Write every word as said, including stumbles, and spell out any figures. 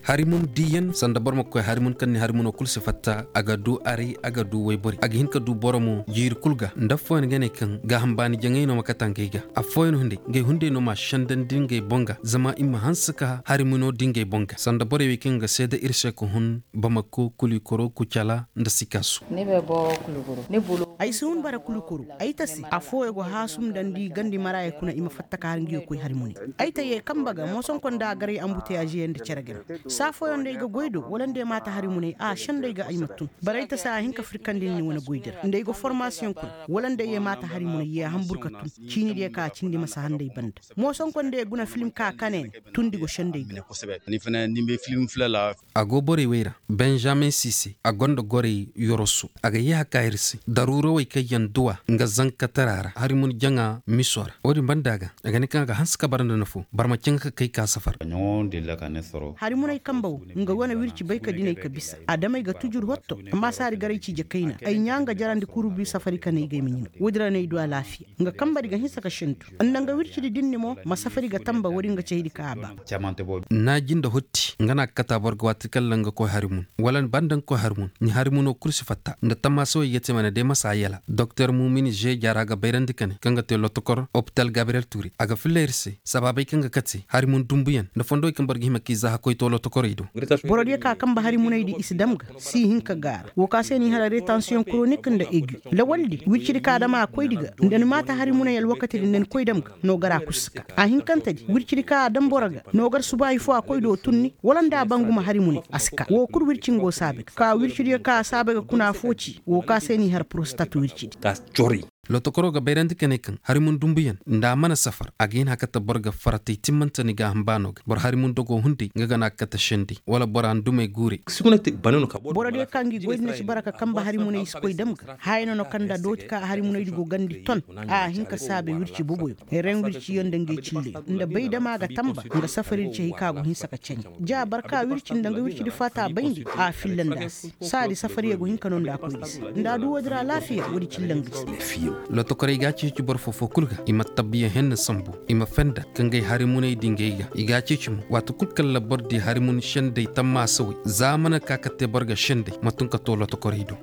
Harimun diiyan sanda boro ma koy harimun kaŋ ni harimuno kul si fatta a ga du aray a ga du wayborey a ga hin ka du boro mo jiiri kul ga nda affooyaŋ ga ne kaŋ gaaham baani jaŋay no ma kate ngey ga. Affooyaŋ hunday ngey hunday no ma a sendandi ngey boŋ ga zama i ma hanse ka harimuno di ngey boŋ ga sanda borey wey kaŋ ga seeda ir se ka hun bamako kulikoro kucala nda sikaasu. Ay si hun bara kulikoro ay ta se affooyaŋ go haasumndandi gandi maraaya kuna i ma fatta ka har ngiyo koy harimuney. Ay ta yee kambe ga moosonko nda a garay ambuteyaaziyaŋ nda cere game. Saa fooyaŋ nda ay ga goy do wala nda ay maata harimuney a sendey ga ay ma tun. Bara ay ta se a hin ka firkandi ni wane goydi ra nda ay ga formasiyoŋ koy wala nda ay yee maata harimuney yee hambur ka tun. Ciinidiyo ka a cindi ma si handay banda. Moosonko nda ay guna filim ka kane ne tundi go sendey ga. A go borey wey ra benjamin siise a gonda gorey yoroso a ga yee haka ir se daruurawey kaŋ yaŋ duwa nga zankatara ra harimun jaŋa miso ra. Wo-din banda ga a ga ne kaŋ a ga hanse ka bara nda nafo barma caŋ ka kay ka safar. Harimuney kambe wo nga wane wirci bay ka dinay ka bisa adamey ga tujur hotto. Amma saari garay ciije kayna ay ɲaa nga jarandi kurbi safari ka ne ay ga ay ma ɲina. Wo-din ra no ay du alaafiya nga kambe di ga hinsa ka sendu nda nga wircidi dinni mo ma safari ga tamba wo-din ga caydi ka a ba. Naaji nda hotti nga na a ga kata boro ga waati kaŋ ra nga koy harimun wala banda nga koy harimun ni harimuno kul si fatta nda tammaasawey ga te mana day ma si a yala doktor mumin žeeja ra ga bayrandi ka ne kaŋ ga te lotokor opital gabriyel tuuri a ga filla ir se sabaabey kaŋ ga kate harimun dumbuyaŋ nda fondowey kaŋ boro ga hima k'i zaaha koy to lotokorey do. Borodiyo ka kambe harimuney di i si dam ga si hin ka gaara wo ka se ni hara retansiyoŋ koronik nda egi lawaldi wircidi ka dam a koydi ga nda ni maata harimuney alwakatidi nda ni koy dam ga no gar a kul si ka a hinkantedi wircidi ka a dam boro ga no gar subaahi fo a koy do tunni wala nda a banguma harimuney a si ka wo kul wirci ngo saabe ga ka wircidiyo ka a saabe ga kuna fo ci wo ka se ni har porostat wircidi. Lotokoro ga bayrandi ka ne kaŋ harimun dumbuyaŋ nda a mana safar a ga hin hakata boro ga faratay timmante ni gaaham baano ga boro harimun dogo hunday nga ga na a kate sendey wala boro handumey guurey. Borodiyo kaŋ gi goy din si bara ka kambe harimuney i si koy dam ga haya no no kaŋ nda dooti ka harimuney di go gandi ton a hin ka saabe wirci boboyo. Ren wirciyo nda ngey cilleyo nda bay dama ga tamba nga safari di cay ka go hinsa ka candi ja barka wirci nda nga wirci di faata bayndi a filla nda a se saadi safariyo go hin ka no nda koy di se nda a du woodi ra alaafiya woodi cilla nga di se. Lotokorey ga a ceeci boro foo-foo kul ga i ma tabbiyaŋ henna sambu i ma fenda ka ngey harimuney di ngey ga i ga a ceeci mo waati kul kaŋ ra boro di harimun sendey tammaasawey za a mana ka ka te boro ga sendey ma tun ka too lotokorey do.